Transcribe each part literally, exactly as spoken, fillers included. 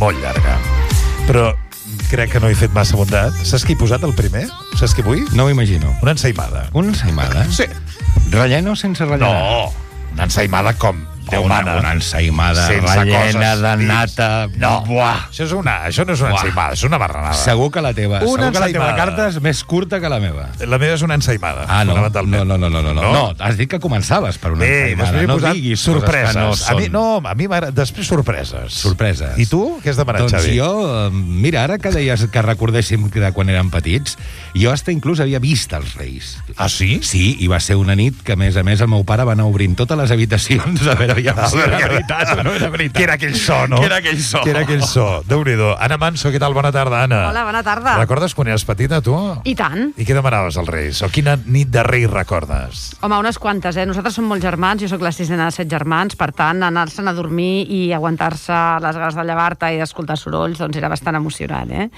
molt llarga. Però crec que no he fet massa bondat. Saps qui he posat el primer? Saps qui vull? No ho imagino. Una ensaïmada. Una ensaïmada? Sí. Rellena o sense rellena? No, una ensaïmada com Déu una, mana. una ensaïmada Sense rellena coses de dins. nata. No, Buah. Això, és una, això no és una Buah. ensaïmada, és una marranada. Segur que la teva, Una segur que la teva ensaïmada. carta és més curta que la meva. La meva és una ensaïmada, Ah, no, no, fonamentalment. no, no, no, no, no. No? no, has dit que començaves per una Bé, ensaïmada. després he No posat diguis sorpreses. coses que no a mi, són. no, a mi m'agrada... Després sorpreses. Sorpreses. I tu? Què has demanat, Doncs Xavi? jo, eh, mira, ara que deies que recordéssim de quan érem petits, jo hasta inclús havia vist els Reis. Ah, sí? Sí, i va ser una nit que, a més a més, el meu pare va anar obrint totes les habitacions a veure ja, si era veritat o no era veritat. Que era aquell so, no? Que era aquell so. Que era aquell so. Déu-n'hi-do. Anna Manso, què tal? Bona tarda, Anna. Hola, bona tarda. Recordes quan eres petita, tu? I tant. I què demanaves als Reis? O quina nit de Reis recordes? Home, unes quantes, eh? Nosaltres som molts germans, jo sóc la sisena de set germans, per tant, anar-se'n a dormir i aguantar-se les ganes de llevar-te i d'escoltar sorolls, doncs era bastant emocionant, eh?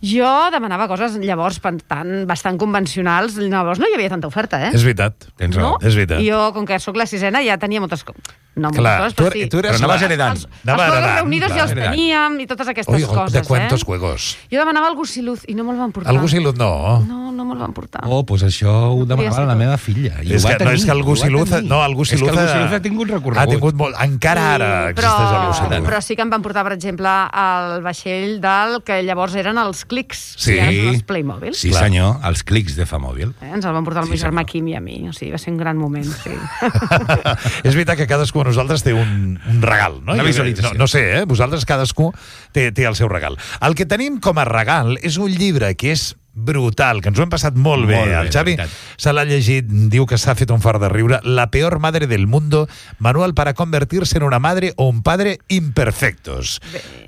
Jo demanava coses, llavors, per tant, bastant convencionals. Llavors no hi havia tanta oferta, eh? És veritat. Tens No? raó. És veritat. I jo, com que sóc la sisena, ja tenia moltes coses. No, moltes Clar, coses, tu, però sí. tu eres Però anaves la- heredant. Els, els Anava Juegos heredant, Reunidos clar, ja els heredant. teníem i totes aquestes Ui, coses, de cuántos eh? juegos. Jo demanava el Gusiluz i no me'l van portar. El Gusiluz no. No, no me'l van portar. Oh, doncs això ho demanava ser la tot. meva filla. I És ho va que, no, tenir, és que el ho va Gusiluz... tenir. No, el Gusiluz... És que el Gusiluz ha tingut recorregut. Ha tingut molt... Encara ara existeix el però, Gusiluz. però sí que em van portar, per exemple, el vaixell del que llavors eren els clics. Sí. I ara són els Playmobil. Sí, Clar. senyor, els clics de Famòbil. Eh? Ens el van portar el Sí, meu germà senyor. Quim i a mi. O sigui, va ser un gran moment, sí. És veritat que cadascú de nosaltres té un, un regal, no? Una Jo- visualització. No, no sé, eh? Vosaltres cadascú té, té el seu regal. El que tenim com a regal és un llibre que és brutal, que ens ho hem passat molt bé. Molt bé, El Xavi de veritat. se l'ha llegit, diu que s'ha fet un fart de riure. La peor madre del mundo, manual para convertirse en una madre o un padre imperfectos.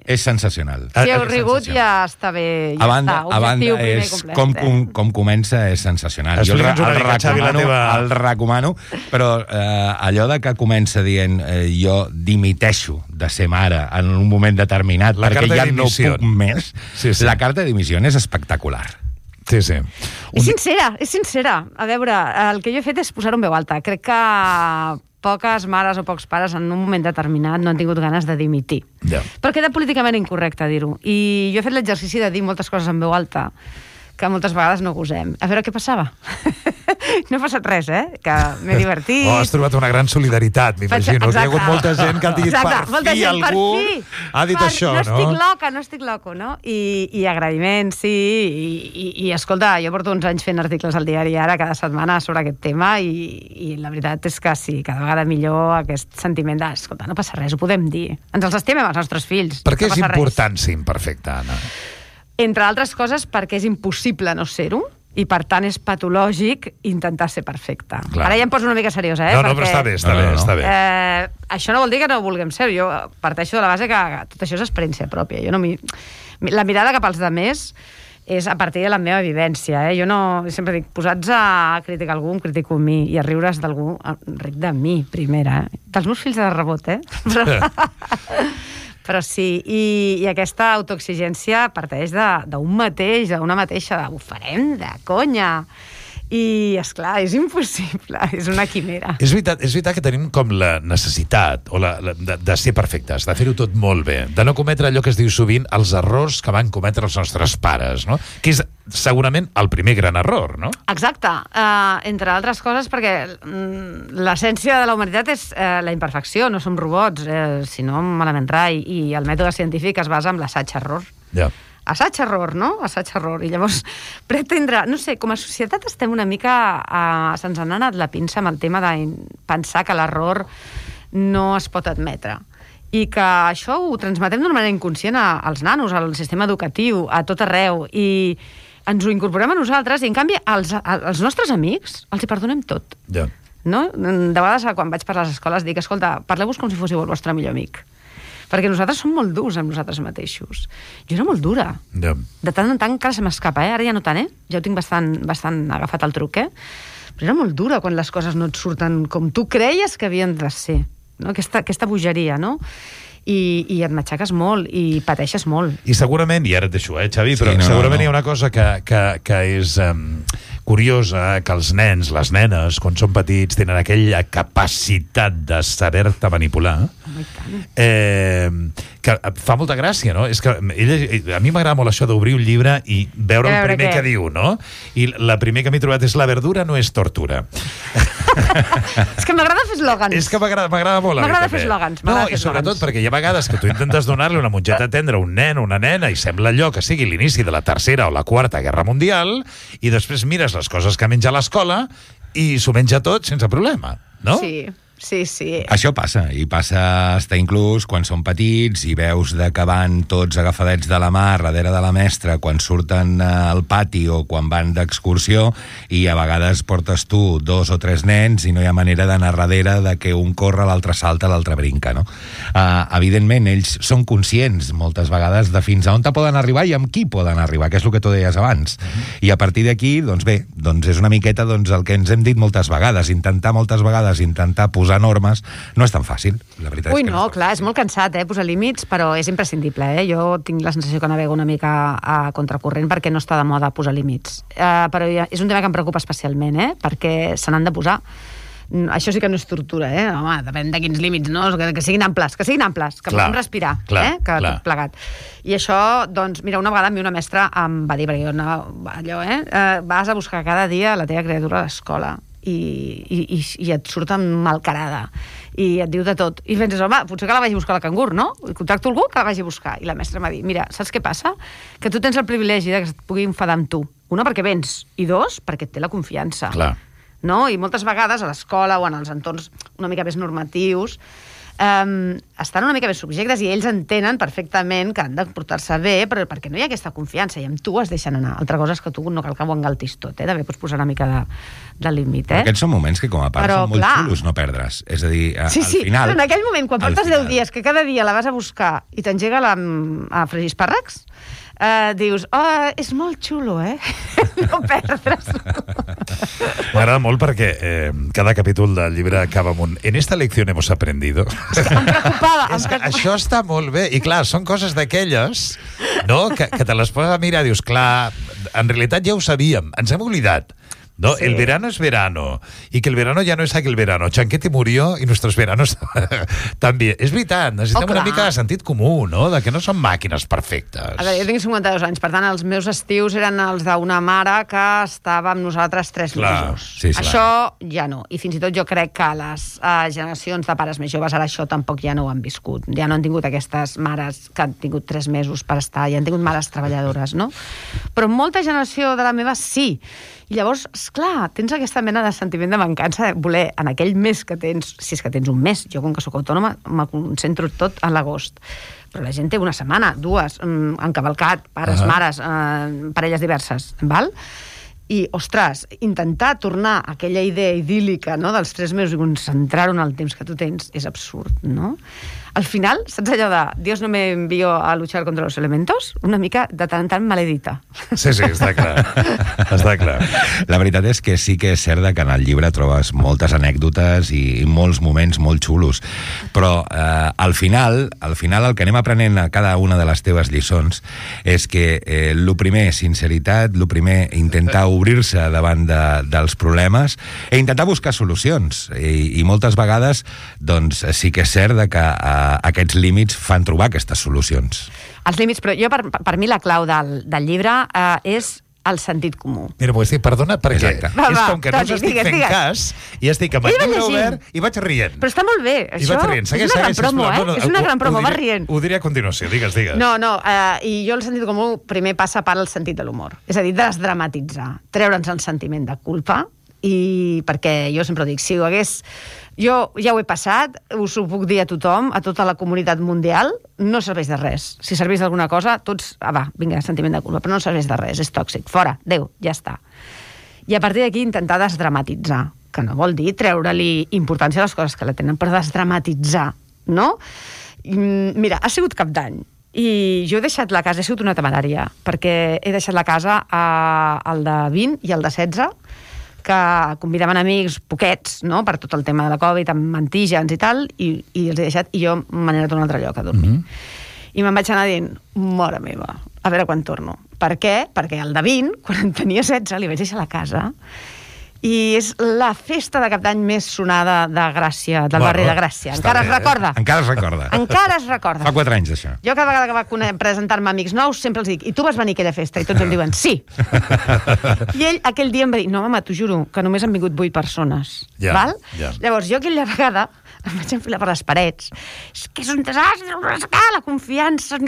És sensacional. Si heu Ah, rigut ja està bé. Ja A banda, està, a banda objectiu primer és, complet, com, eh? com, com comença és sensacional. Jo el, Explica'ns una el, mica, Xavi, la recomano, teva- el recomano, però eh, allò de que comença dient eh, jo dimiteixo de ser mare en un moment determinat La perquè carta ja de no dimissió. puc més, Sí, sí. la carta de dimissió és espectacular. Sí, sí. És sincera, és sincera. A veure, el que jo he fet és posar-ho en veu alta. Crec que poques mares o pocs pares en un moment determinat no han tingut ganes de dimitir. Ja. Però queda políticament incorrecte dir-ho. I jo he fet l'exercici de dir moltes coses en veu alta que moltes vegades no gosem. A veure què passava. No ha passat res, eh? Que m'he divertit. Oh, has trobat una gran solidaritat, m'imagino. Hi ha hagut molta gent que ha dit Exacte, per molta fi gent, per algú fi. ha dit Per- això, no? no? No estic loca, no estic loco, no? I, i agraïments, sí. I, i, I, escolta, jo porto uns anys fent articles al diari ara, cada setmana, sobre aquest tema, i, i la veritat és que sí, cada vegada millor aquest sentiment de, escolta, no passa res, ho podem dir. Ens els estimem als nostres fills. Per què no és passa res. important ser imperfecte, Anna? Entre altres coses, perquè és impossible no ser-ho, i per tant és patològic intentar ser perfecte. Clar. Ara ja em poso una mica seriosa, eh? No, no, perquè, però està bé, està No, bé, no, no. està bé. Eh, això no vol dir que no vulguem ser. Jo parteixo de la base que tot això és experiència pròpia. Jo no mi... La mirada cap als demés és a partir de la meva vivència. Eh? Jo no... Sempre dic, posats a criticar algú, em critico a mi, i a riure's d'algú, ric de mi, primera. Eh? Dels meus fills de rebot, eh? Però... Però sí, i, i aquesta autoexigència parteix d'un mateix, d'una mateixa, de, ho farem de conya. I, esclar, és impossible, és una quimera. És veritat, és veritat que tenim com la necessitat o la, la, de, de ser perfectes, de fer-ho tot molt bé, de no cometre allò que es diu sovint els errors que van cometre els nostres pares, no? Que és segurament el primer gran error, no? Exacte, uh, entre altres coses perquè mm, l'essència de la humanitat és uh, la imperfecció, no som robots, eh, sinó malament rai, i el mètode científic es basa en l'assaig-error. Ja. Assaig-error, no? Assaig-error. I llavors pretendre... No sé, com a societat estem una mica... Uh, se'ns ha anat la pinça amb el tema de pensar que l'error no es pot admetre. I que això ho transmetem d'una manera inconscient a, als nanos, al sistema educatiu, a tot arreu, i ens ho incorporem a nosaltres, i en canvi als, als nostres amics els hi perdonem tot. Ja. No? De vegades, quan vaig per les escoles, dic, escolta, parleu-vos com si fóssiu el vostre millor amic. Perquè nosaltres som molt durs amb nosaltres mateixos. Jo era molt dura. Ja. De tant en tant encara se m'escapa, eh? Ara ja no tant, eh? Ja ho tinc bastant, bastant agafat el truc, eh? Però era molt dura quan les coses no et surten com tu creies que havien de ser. No? Aquesta, aquesta bogeria, no? I, i et matxaques molt i pateixes molt. I segurament, i ara et deixo, eh, Xavi, Sí, però no, segurament no, no. hi ha una cosa que, que, que és um, curiosa, que els nens, les nenes, quan són petits, tenen aquella capacitat de saber-te manipular, i tant. Eh, que fa molta gràcia, no? És que ella, a mi m'agrada molt això d'obrir un llibre i veure el primer què? que diu, no? I la primer que m'he trobat és la verdura no és tortura. És que m'agrada fer eslògans. És que m'agrada molt. M'agrada fer eslògans. No, i sobretot perquè hi ha vegades que tu intentes donar-li una mongeta tendra a un nen o una nena i sembla allò que sigui l'inici de la tercera o la quarta guerra mundial i després mires les coses que menja a l'escola i s'ho menja tot sense problema, no? Sí, sí, sí. Això passa, i passa hasta inclús quan són petits i veus de que van tots agafadets de la mà darrere de la mestra quan surten al pati o quan van d'excursió i a vegades portes tu dos o tres nens i no hi ha manera d'anar darrere de que un corre, l'altre salta, l'altre brinca, no? Uh, evidentment, ells són conscients moltes vegades de fins a on te poden arribar i amb qui poden arribar, que és el que tu deies abans. Uh-huh. I a partir d'aquí, doncs bé, doncs és una miqueta doncs, el que ens hem dit moltes vegades, intentar moltes vegades, intentar posar normes, no és tan fàcil. La veritat Ui, és que no, no clar, és molt cansat, eh, posar límits, però és imprescindible, eh? Jo tinc la sensació que navego una mica a contracorrent perquè no està de moda posar límits. Uh, però és un tema que em preocupa especialment, eh? Perquè se n'han de posar. Això sí que no és tortura, eh? Home, depèn de quins límits, no? Que, que siguin amples, que siguin amples, que clar, puguem respirar, clar, eh? Que clar. tot plegat. I això, doncs, mira, una vegada a mi una mestra em va dir, perquè jo anava, allò, eh? Uh, vas a buscar cada dia la teva criatura a l'escola i, i, i, i et surt malcarada i et diu de tot. I penses, home, potser que la vagi a buscar a la cangur, no? I contacto algú que la vagi a buscar. I la mestra m'ha dit, mira, saps què passa? Que tu tens el privilegi de que es pugui enfadar amb tu. Una, perquè vens, i dos, perquè et té la confiança. Clar. No? I moltes vegades a l'escola o en els entorns una mica més normatius um, estan una mica més subjectes i ells entenen perfectament que han de portar-se bé, però perquè no hi ha aquesta confiança i amb tu es deixen anar. Altra cosa és que tu no cal que ho engaltis tot, eh? També pots posar una mica de, de límit, eh? Aquests són moments que com a part però, són molt clar, xulos no perdre's. És a dir, a, sí, sí, al final... però en aquell moment, quan portes final... deu dies que cada dia la vas a buscar i t'engega la, a fregir espàrrecs, Uh, dius, oh, és molt xulo, eh? No perdre's. M'agrada molt perquè eh, cada capítol del llibre acaba amb un en esta lección hemos aprendido. És que em preocupava. És que això està molt bé. I clar, són coses d'aquelles, no? que, que te les poses a mirar i dius, clar, en realitat ja ho sabíem, ens hem oblidat. No, sí. El verano es verano y que el verano ya no es aquel verano. Chanquete murió y nuestros veranos també. És veritat, necessitem oh, una mica de sentit comú, no? De que no són màquines perfectes. A veure, jo tinc cinquanta-dos anys, per tant, els meus estius eren els d'una mare que estava amb nosaltres tres clar, mesos. Sí, sí, això ja no. I fins i tot jo crec que les uh, generacions de pares més joves ara això tampoc ja no ho han viscut. Ja no han tingut aquestes mares que han tingut tres mesos per estar, ja han tingut mares treballadores, no? Però molta generació de la meva sí. I llavors, esclar, tens aquesta mena de sentiment de mancança de voler, en aquell mes que tens, si és que tens un mes, jo com que sóc autònoma me concentro tot a l'agost, però la gent té una setmana, dues, encavalcat, pares, uh-huh. mares, eh, parelles diverses, val? I, ostres, intentar tornar a aquella idea idíl·lica, no?, dels tres mesos i concentrar-ho en el temps que tu tens és absurd, no? Al final, saps allò de Dios no me envió a luchar contra los elementos? Una mica de tant en tant maledita. Sí, sí, està clar. Està clar. La veritat és que sí que és cert que en el llibre trobes moltes anècdotes i, i molts moments molt xulos, però eh, al final al final el que anem aprenent a cada una de les teves lliçons és que eh, el primer, sinceritat, el primer, intentar obrir-se davant de, dels problemes i intentar buscar solucions. I, i moltes vegades, doncs, sí que és cert que eh, aquests límits fan trobar aquestes solucions. Els límits, però jo, per, per mi, la clau del, del llibre eh, és el sentit comú. Mira, vull dir, perdona, perquè Exacte. és Va, va, com que no us Toni, estic digues, fent digues. cas i estic amb el Iba llibre llegint. obert i vaig rient. Però està molt bé, I això vaig rient. Segueix, és una segueix, gran promo, sisplau. eh? No, no, és una ho- gran promo, ho vas diré- rient. Ho diré a continuació, digues, digues. No, no, eh, i jo el sentit comú primer passa per el sentit de l'humor. És a dir, desdramatitzar, treure'ns el sentiment de culpa, i perquè jo sempre ho dic, si ho hagués... Jo ja ho he passat, us ho puc dir a tothom, a tota la comunitat mundial, no serveix de res. Si serveix d'alguna cosa, tots... Ah, va, vinga, sentiment de culpa, però no serveix de res, és tòxic. Fora, adéu, ja està. I a partir d'aquí intentar desdramatitzar, que no vol dir treure-li importància a les coses que la tenen, però desdramatitzar, no? I, mira, ha sigut Cap d'Any, i jo he deixat la casa, he sigut una temerària, perquè he deixat la casa a, al de vint i al de setze, que convidaven amics poquets, no?, per tot el tema de la Covid, amb antígens i tal, i, i els he deixat, i jo m'he anat a un altre lloc a dormir. Mm-hmm. I me'n vaig anar dient, mare meva, a veure quan torno. Per què? Perquè el de vint, quan en tenia setze, li vaig deixar la casa, I és la festa de cap d'any més sonada de Gràcia, del Bueno, barri de Gràcia. està Encara bé, es recorda. Encara es recorda. Encara es recorda. Fa quatre anys, això. Jo cada vegada que va cone- presentar-me amics nous sempre els dic, i tu vas venir a aquella festa? I tots em diuen, sí. I ell aquell dia em va dir, no, mama, t'ho juro, que només han vingut vuit persones. Ja, Val? ja. Llavors, jo aquella vegada em vaig enfilar per les parets. És que és un desastre, la confiança...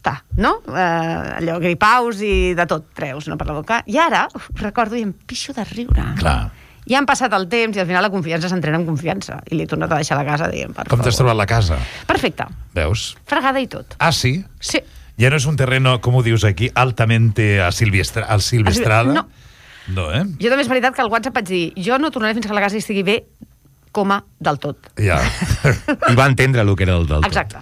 Ta, no? Eh, allò, gripaus i de tot treus, no, per la boca. I ara, recordo, i em pixo de riure. Clar. Ja han passat el temps i al final la confiança s'entrena en confiança. I l'he tornat a deixar a la casa, diguem, per Com t'has trobat la casa? Perfecte. Veus? Fregada i tot. Ah, sí? Sí. Ja no és un terreno, com ho dius aquí, altamente a Silvestra, al Silvestrada? No. No, eh? Jo també és veritat que al WhatsApp vaig dir jo no tornaré fins que la casa estigui bé, coma, del tot. Ja. I va entendre el que era el del tot. Exacte.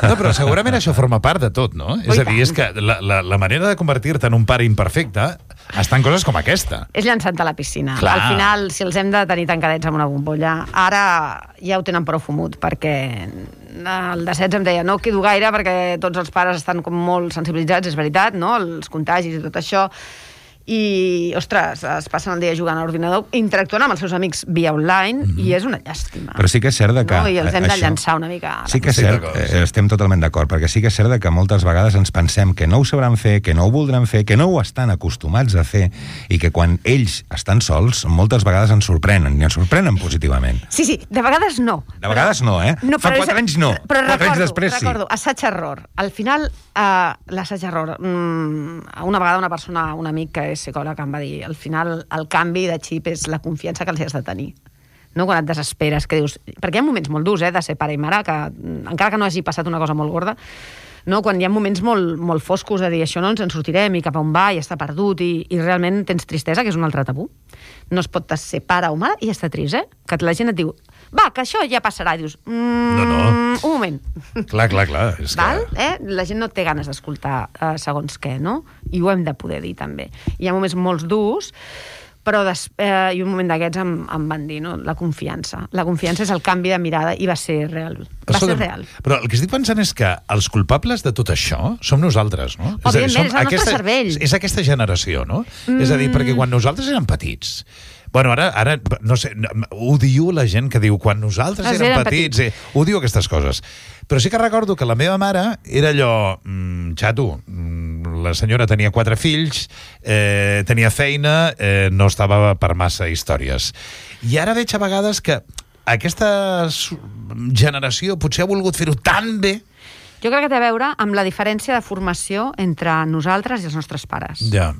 No, però segurament això forma part de tot, no? És a dir, és que la, la, la manera de convertir-te en un pare imperfecte està en coses com aquesta. És llançant-te a la piscina. Clar. Al final, si els hem de tenir tancadets amb una bombolla, ara ja ho tenen prou fumut, perquè el de setze em deia no quedo gaire perquè tots els pares estan com molt sensibilitzats, és veritat, no? Els contagis i tot això. I, ostres, es passen el dia jugant a l'ordinador, interactuant amb els seus amics via online, mm-hmm. i és una llàstima. Però sí que és cert de que... No? I els hem de això, llançar una mica... Sí que és Sí, cert, d'acord, eh, sí. estem totalment d'acord, perquè sí que és cert de que moltes vegades ens pensem que no ho sabran fer, que no ho voldran fer, que no ho estan acostumats a fer, i que quan ells estan sols, moltes vegades ens sorprenen, i ens sorprenen positivament. Sí, sí, de vegades no. De vegades no, eh? No, Fa però quatre és- anys no, però quatre recordo, anys després sí. recordo, assaig-error. Al final, uh, l'assaig-error... Mm, una vegada una persona, un amic que és psicòleg, em va dir al final el canvi de xip és la confiança que els has de tenir. No? Quan et desesperes, que dius... Perquè hi ha moments molt durs, eh, de ser pare i mare, que mm, encara que no hagi passat una cosa molt gorda, no? Quan hi ha moments molt, molt foscos de dir això no ens en sortirem i cap a on va i està perdut i, i realment tens tristesa, que és un altre tabú. No es pot ser pare o mare i estar trist, eh? Que la gent et diu, va, que això ja passarà. I dius, mm, No, no. un moment. Clar, clar, clar. És Val? que... Eh? La gent no té ganes d'escoltar uh, segons què, no? I ho hem de poder dir, també. Hi ha moments molt durs, però des, eh, i un moment d'aquests em, em van dir, no? La confiança. La confiança és el canvi de mirada i va ser real. Va Escolta'm, ser real. Però el que estic pensant és que els culpables de tot això som nosaltres, no? És a dir, Òbviament, som és el nostre aquesta, cervell. És aquesta generació, no? Mm. És a dir, perquè quan nosaltres érem petits... Bueno, ara, ara no sé, odio la gent que diu quan nosaltres Els érem eren petits, eh, odio aquestes coses. Però sí que recordo que la meva mare era allò, mm, xato, mm, la senyora tenia quatre fills, eh, tenia feina, eh, no estava per massa històries. I ara veig a vegades que aquesta su- generació potser ha volgut fer-ho tan bé. Jo crec que té a veure amb la diferència de formació entre nosaltres i els nostres pares. Ja.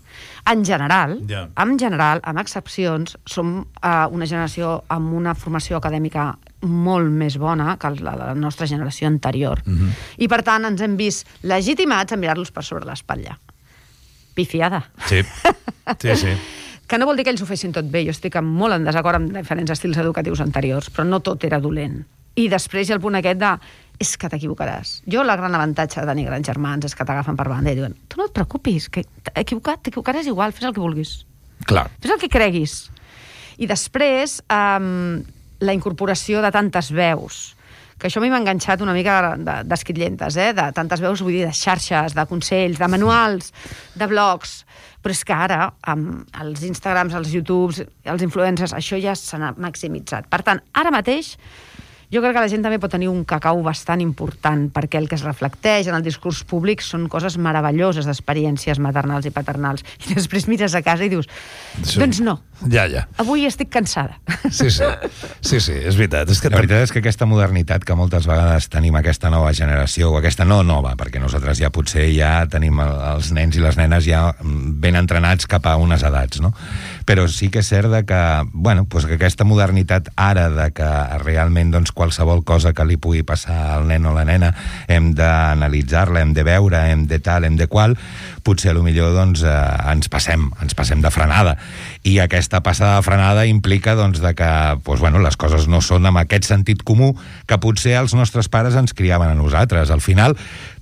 En general, Ja. en general, amb excepcions, som uh, una generació amb una formació acadèmica molt més bona que la, la nostra generació anterior. Mhm. I, per tant, ens hem vist legitimats a mirar-los per sobre l'espatlla. Pifiada. Sí, sí, sí. Que no vol dir que ells ho fessin tot bé. Jo estic molt en desacord amb diferents estils educatius anteriors, però no tot era dolent. I després hi ha el punt aquest de és que t'equivocaràs. Jo el gran avantatge de tenir grans germans és que t'agafen per banda i diuen tu no et preocupis, que t'he equivocat, t'equivocaràs igual, fes el que vulguis. Clar. Fes el que creguis. I després, um, la incorporació de tantes veus, que això a mi m'ha enganxat una mica d'esquitllentes, eh? De tantes veus, vull dir, de xarxes, de consells, de manuals, de blogs, però és que ara, amb els Instagrams, els YouTubes, els influencers, això ja s'ha maximitzat. Per tant, ara mateix, jo crec que la gent també pot tenir un cacau bastant important, perquè el que es reflecteix en el discurs públic són coses meravelloses d'experiències maternals i paternals. I després mires a casa i dius, Sí. doncs no, Ja, ja. avui estic cansada. Sí, sí. Sí, sí, és veritat. És que La veritat és que aquesta modernitat que moltes vegades tenim aquesta nova generació, o aquesta no nova, perquè nosaltres ja potser ja tenim el- els nens i les nenes ja ben entrenats cap a unes edats, no? Però sí que és cert de que, bueno, doncs que aquesta modernitat ara de que realment doncs, qualsevol cosa que li pugui passar al nen o la nena hem d'analitzar-la, hem de veure, hem de tal, hem de qual, potser a lo millor doncs, eh, ens passem, ens passem de frenada. I aquesta passada de frenada implica doncs, de que doncs, bueno, les coses no són amb aquest sentit comú que potser els nostres pares ens criaven a nosaltres. Al final,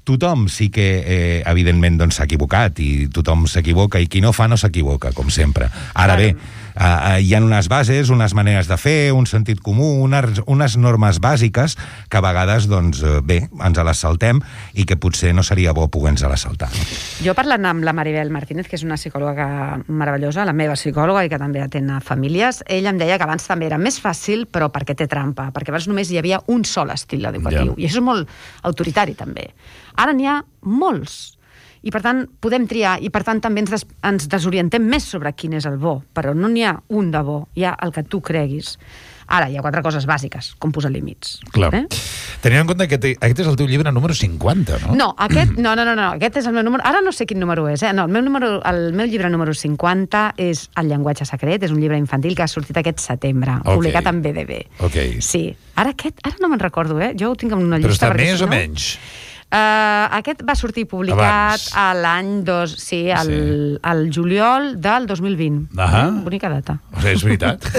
tothom sí que, eh, evidentment, doncs, s'ha equivocat i tothom s'equivoca i qui no fa no s'equivoca, com sempre. Ara bé, Uh, hi ha unes bases, unes maneres de fer, un sentit comú, unes, unes normes bàsiques que a vegades, doncs, bé, ens les saltem i que potser no seria bo poder-nos les saltar. No? Jo parlant amb la Maribel Martínez, que és una psicòloga que, meravellosa, la meva psicòloga i que també atén a famílies, ella em deia que abans també era més fàcil, però perquè té trampa, perquè abans només hi havia un sol estil educatiu, yeah. i això és molt autoritari també. Ara n'hi ha molts. I, per tant, podem triar, i, per tant, també ens, des, ens desorientem més sobre quin és el bo, però no n'hi ha un de bo, hi ha el que tu creguis. Ara, hi ha quatre coses bàsiques, com posar límits. Clar. Eh? Tenint en compte que te, aquest és el teu llibre número cinquanta, no? No, aquest, no, no, no, no, aquest és el meu número... Ara no sé quin número és, eh? No, el meu, número, el meu llibre número cinquanta és El llenguatge secret, és un llibre infantil que ha sortit aquest setembre, okay. publicat en B D B. Okay. Sí. Ara aquest, ara no me'n recordo, eh? Jo ho tinc en una Però llista... Però està més si o no... menys? Uh, aquest va sortir publicat a l'any dos, sí, al, sí. al juliol del dos mil vint. Ahà. Eh? Bonica data. O sigui, és veritat.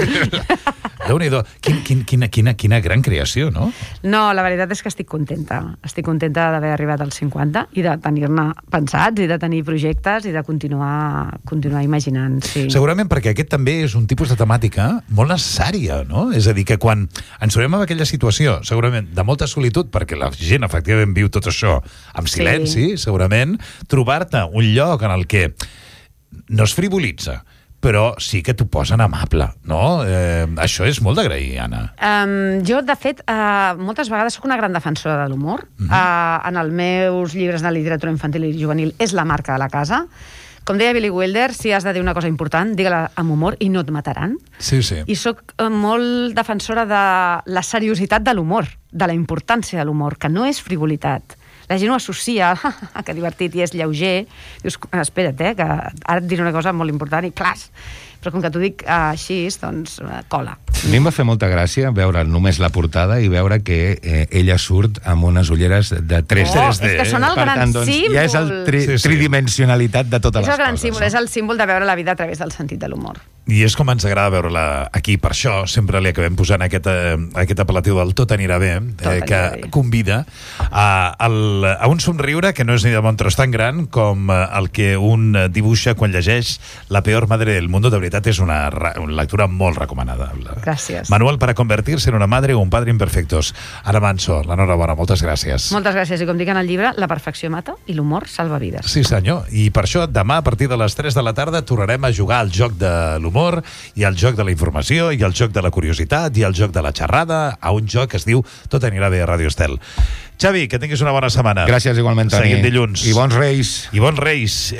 Déu-n'hi-do. Quin, quin, quina, quina, quina gran creació, no? No, la veritat és que estic contenta. Estic contenta d'haver arribat als cinquanta i de tenir-ne pensats i de tenir projectes i de continuar, continuar imaginant. Sí. Segurament perquè aquest també és un tipus de temàtica molt necessària, no? És a dir, que quan ens trobem en aquella situació, segurament de molta solitud, perquè la gent efectivament viu tot això amb silenci, sí. segurament, trobar-te un lloc en el que no es frivolitza, però sí que t'ho posen amable, no? Eh, això és molt d'agrair, Anna. Um, jo, de fet, uh, moltes vegades sóc una gran defensora de l'humor. Uh-huh. uh, en els meus llibres de literatura infantil i juvenil és la marca de la casa. Com deia Billy Wilder, si has de dir una cosa important, digue-la amb humor i no et mataran. Sí, sí. I sóc uh, molt defensora de la seriositat de l'humor, de la importància de l'humor, que no és frivolitat. La gent ho associa, que divertit i és lleuger. Dius, espera't, eh, que ara et diré una cosa molt important i clas. Però com que t'ho dic uh, així, doncs uh, cola. A mi em va fer molta gràcia veure només la portada i veure que eh, ella surt amb unes ulleres de tres D. Oh, és que són el per gran tant, doncs, símbol. Ja és el tri sí, sí. tridimensionalitat de totes és les el gran coses. símbol, No? és el símbol de veure la vida a través del sentit de l'humor. I és com ens agrada veure-la aquí, per això sempre li acabem posant aquest, eh, aquest apel·latiu del Tot anirà bé, eh, que bé. convida a, al, a un somriure que no és ni de bon tros tan gran com el que un dibuixa quan llegeix La peor madre del mundo. De veritat és una, una lectura molt recomanada. Gràcies. Manual para convertirse en una madre o un padre imperfectos. Ara Manso, l'enhorabona, moltes gràcies. Moltes gràcies. I com dic en el llibre, la perfecció mata i l'humor salva vides. Sí, senyor. I per això demà, a partir de les tres de la tarda, tornarem a jugar al joc de l'humor, i al joc de la informació, i al joc de la curiositat, i al joc de la xerrada, a un joc que es diu Tot anirà bé a Ràdio Estel. Xavi, que tinguis una bona setmana. Gràcies igualment, Toni. Seguim dilluns. I bons Reis. I bons Reis.